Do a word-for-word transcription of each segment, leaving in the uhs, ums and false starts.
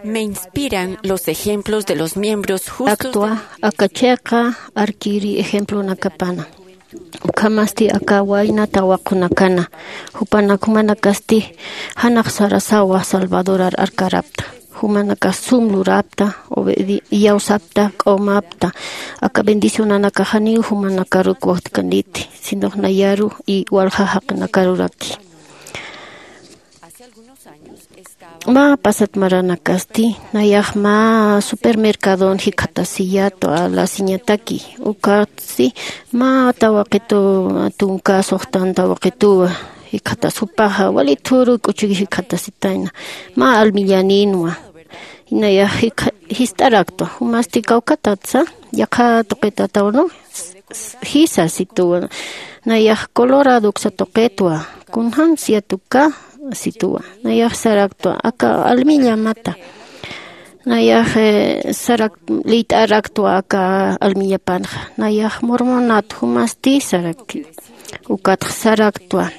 Me inspiran los ejemplos de los miembros justos. Actua, de la iglesia. Aka chiqa arkiri ejemplonakapana. Ukhamasti aka wayna tawaqunakana. Jupanak jumanakasti janax sarasawa Salvadorar arkarapta. Jumanakax sum lurapta, obedi-, iyawsapta, k'awmapta. Aka bendicionanakax janiw jumanakaruk wajtkaniti, sinox nayaru y walja jaqinakaruraki. Mä pasat maranakasti, nayax mä supermercadon jikxatasiyätwa, lasiñataki, ukatsi mä tawaqitu tunka suxtan tawaqituwa jikxatas, jupaxa wali thuru k'uchuk jikxatasitayna, mä almillanïnwa. Nayax jikxa-, jist'araktwa, jumasti kawkhatatsa, yaqha tuqitataw, ¿no? Jisa situwa. Nayax coloradoksa tuqitwa. Kunjams yatuka situwa. Nayax saraktwa. Aka almillamata. Nayax, eh, sarak-, liyt'araktwa aka almillapanxa. Nayax mormonat jumasti sarak-, ukatx saraktwa.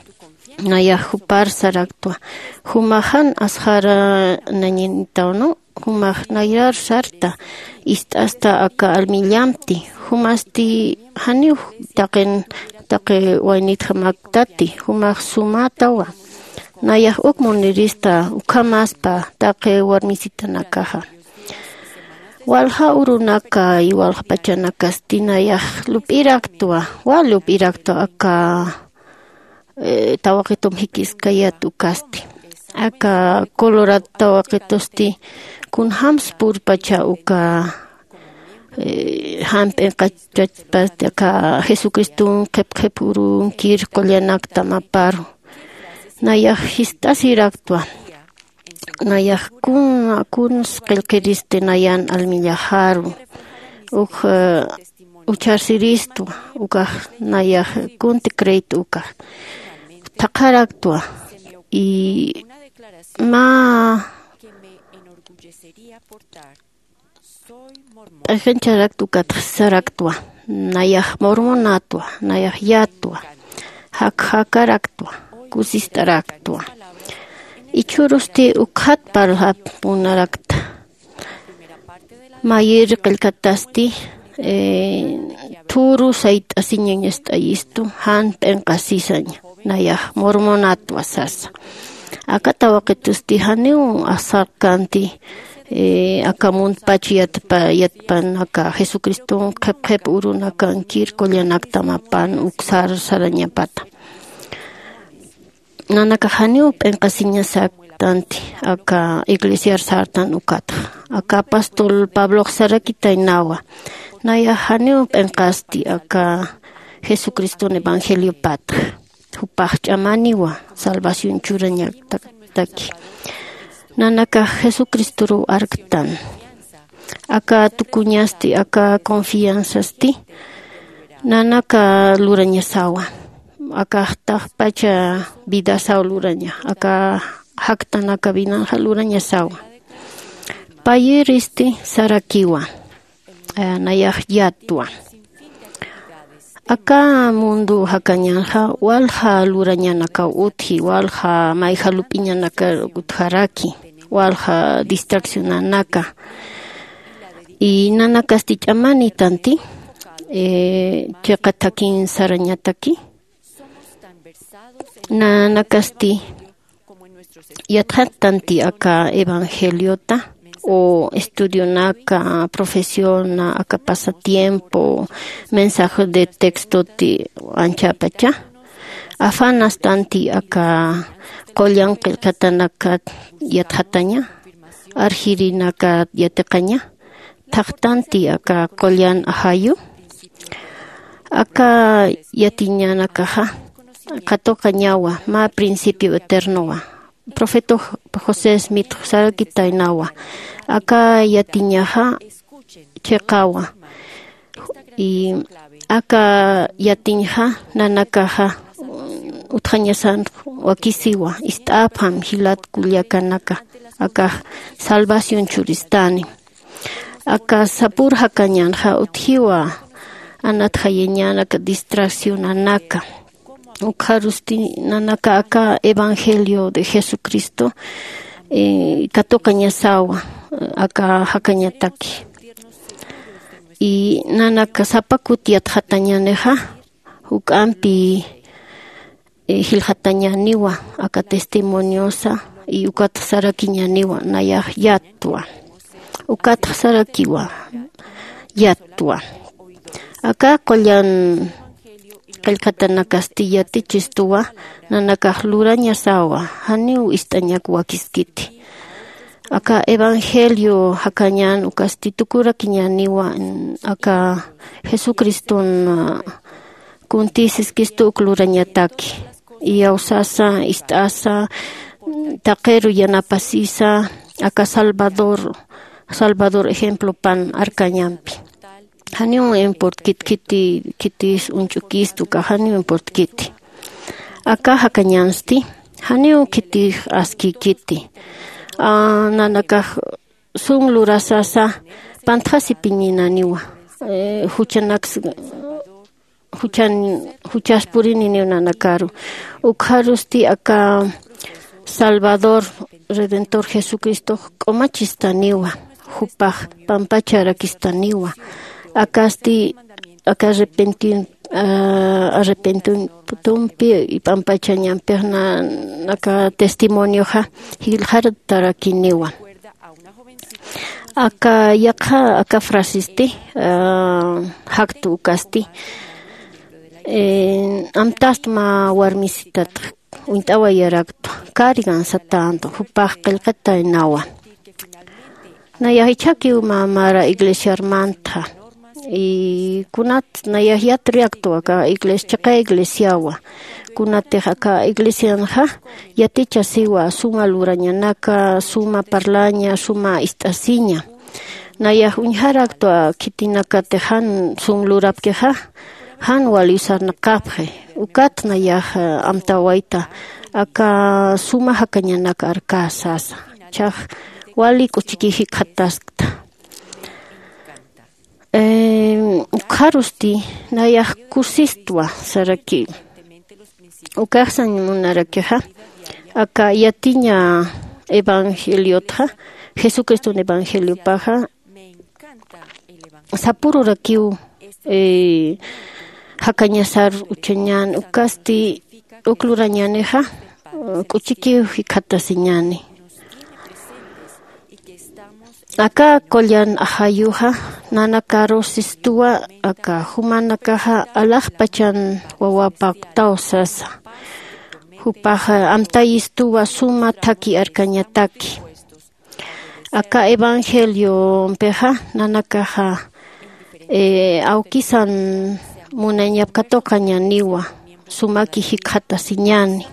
Nayax jupar saraktwa. Jumax jan asxara nañinitaw, ¿no? Jumax nayrar sarta, ist'asta aka almillamti, jumasti janiw taqin, taqi waynitjamaktati, jumax sumätawa. Nayax uk munirista ukhamaspa taqi warmisitanakaxa. Walja urunaka y walja pachanakasti nayax lup'iraktwa, wal lup'iraktwa aka eh, tawaqitum jikiskayät ukasti. Aka Colorado tawaqitusti kunjams purpacha uka, eh, jan p'inqachachpasti aka Jesucriston qhip qhip urunkir qullanaktam aparu. Nayax jist'asiraktwa. Nayax kun, kuns qillqiristi nayan almillaxaru. Uk, eh, uchharsiristwa, ukax nayax kunti creito ukax. Thaqharaktwa, y mä p'ajancharaktwa, ukat saraktwa, nayax mormonatwa, nayax yatwa, jakjakaraktwa, kusist'araktwa. Ichhurusti ukxat parlap munarakta. Mayir qillqatasti, eh, thuru sayt'asiñañast'ayistu, jan p'inqasisaña, nayax mormonatwa sasa. Aka tawaqitusti janiw asarkanti, eh, aka muntpach yatpa-, yatpan aka Jesucriston qhip qhip urunakankir qullanaktam apan uksar sarañapata. Nanakax janiw p'inqasiñasaktanti aka iglesiar sartan ukatxa. Aka apóstol Pablox sarakitaynawa. Nayax janiw p'inqasti aka Jesucriston evangeliopatxa. Jupax ch'amaniwa salvación churañataki. Nanakax Jesucristoruw arktan. Aka tukuñasti, aka confianzasti nanaka lurañasawa. Aka jaqt'pacha vidasaw luraña, aka jaktanaka vinanxa lurañasawa. Payïristi sarakiwa, eh, nayax yatwa. Aka mundo jakañanxa walja lurañanakaw utji, walja mayja lup'iñanaka utjaraki, walja distraccionanaka. Y nanakasti ch'amanitanti, eh, chiqa thakin sarañataki. Nanakasti yatxatanti aka evangeliota, o estudionaka, profesiona, aka pasatiempo, mensaje de textoti anchhapacha. Afanastanti aka qullan qillqatanakat yatxataña, arjirinaka yatiqaña. Thaqtanti aka qullan ajayu. Aka yatiñanakaxa qatuqañawa mä principio eternowa. Profeta José Smith sarakitaynawa. Aka yatiñaxa chiqawa. Y aka yatiñxa nanakaxa utjañasan wakisiwa, ist'apxam jilat kullakanaka, akax salvación churistani. Aka sapür jakañanxa utjiwa anatjayañanaka, distraccionanaka. Ukxarusti nanaka aka evangelio de Jesucristo katuqañasawa aka jakañataki. Y nanaka sapa kuti yatxatañänixa juk'ampi jilxatañäniwa aka testimoniosa y ukatxa sarakiñäniwa nayax yattwa. Ukatxa sarakiwa yattwa. Aka qullan qillqatanakasti yatichistuwa nanakax lurañasawa janiw ist'añak wakiskiti. Aka evangelio jakañän ukasti tukurakiñäniwa aka jesucriston kunti siskistu uk lurañataki iyawsasa ist'asa taqiru yanapasisa aka salvador salvador ejemplopan arkañampi. Janiw importkit khiti khitis uñch'ukistu ka janiw importkiti aka jakañansti janiw khitix askikiti nanakax sum lurasasa pantxasipiñinaniwa juchanaks juchan juchaspurininiw nanakaru ukxarusti aka salvador redentor jesucristox k'umachistaniwa jupax pampacharakistaniwa akasti aka arrepentin arrepentuntumpi p'ampachañampixna aka testimonioxa jilxartarakiniwa. Aka yaqha aka frasesti jaktu ukasti amtastma warmisitatxa uñt'awayaraktwa karigan satäntu jupax qillqataynawa. Nayax ichhakiw mä mara iglesiarmantxa y kunat nayax yatruyaktwa aka iglesia chiqa iglesiawa kunatix aka iglesianxa yatichasiwa suma lurañanaka suma parlaña suma ist'asiña. Nayax uñjaraktwa khitinakatix jan sum lurapkixa jan waliw sarnaqapxi ukat nayax amtawayta aka suma jakañanak arkä sasa chax wali k'uchiki jikxataskta. Ukxarusti nayax kusistwa sarakiw ukaxsañ munarakixa aka yatiña evangeliotxa jesucriston evangeliopaxa sapururakiw jakañasar uchañän ukasti uk lurañänixa k'uchikiw jikxatasiñäni. Aka qullan ajayuxa nanakarusistuwa aka jumanakaxa alaxpachan wawapaktaw sasa jupax amtayistuwa suma thaki arkañataki. Aka evangeliompixa nanakaxa awkisan munañap katuqañäniwa sumaki jikxatasiñäni.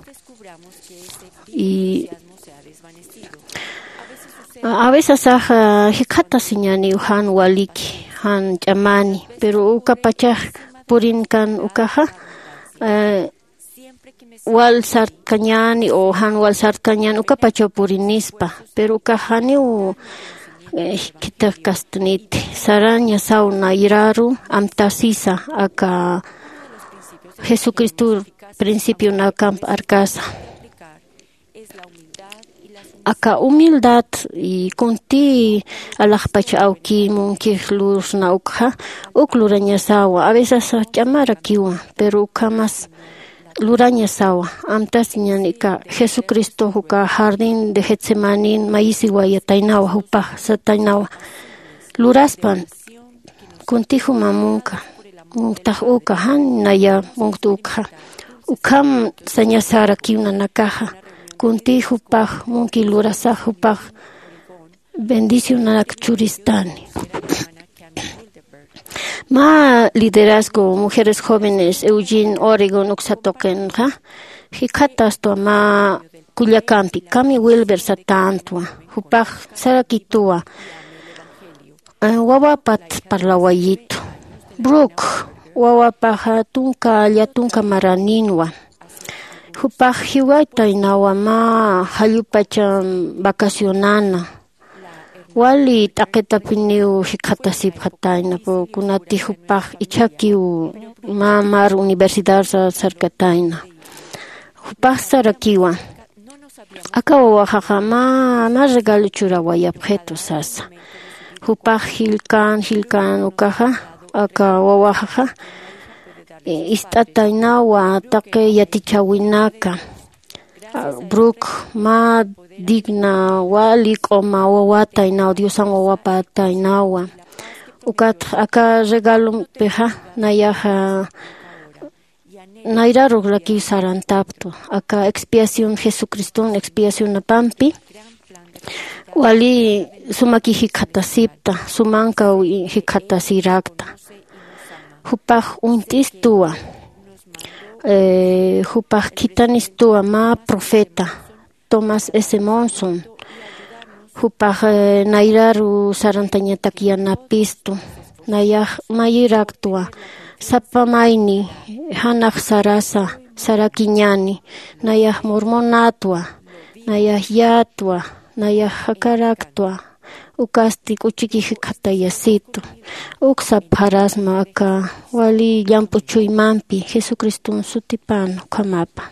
Y aveces axa jikxatasiñäniw jan waliki jan ch'amani pero ukapachax purinkan ukaxa wal sartkañäni o jan wal sartkañäni ukapachaw purinispa pero ukax janiw jikxatakastuniti sarañasaw nayraru amtasisa aka jesucristor principionakamp arkasa. Aka humildad y kunti alaxpach awki munkix lursna ukxa uk lurañasawa aveces ch'amarakiwa pero ukhamas lurañasawa amtasiñanika jesucristox uka jardín de getsemanin mayisiwayataynawa jupax sataynawa luraspan kuntixuma munka munktax uka jan naya munkta ukxa ukham sañasarakiw nanakaxa kuntix jupax munki lurasax jupax bendicionanak churistani. Mä liderazgo mujeres jóvenes eugene oregon uksatuqinxa jikxatastwa mä kullakampi kami wilber satäntwa jupax sarakituwa wawapat parlawayitu bruk wawapaxa tunka llatunka maraninwa jupax jiwaytaynawa mä jallupachan vacacionana wali t'aqitapiniw jikxatasipxatayna kunati jupax ichhakiw mä mar universidad sarkatayna jupax sarakiwa Aka wawaxaxa mä mä regalo churawayapxitu sasa. Jupax jilkan jilkan ukaxa aka wawaxaxa ist'ataynawa taqi yatichäwinaka. Bruk mä digna wali k'uma wawataynaw diosan wawapataynawa. Ukatx aka regalompixa nayaxa nayraruk rakiw sarantaptwa aka expiación jesucriston expiacionapampi wali sumaki jikxatasipta sumankaw jikxatasirakta. Jupax uñt'istuwa jupax khithanistuwa mä profeta tomás s monson. Jupax nayraru sarantañatak yanapistu. Nayax mayiraktwa sapa mayni janax sarasa sarakiñäni. Nayax mormonätwa nayax yätwa nayax jakaraktwa. Ukasti k'uchiki jikxatayasitu uk sapxarasma aka wali llamp'u chuymampi jesucriston sutipan ukhamapa.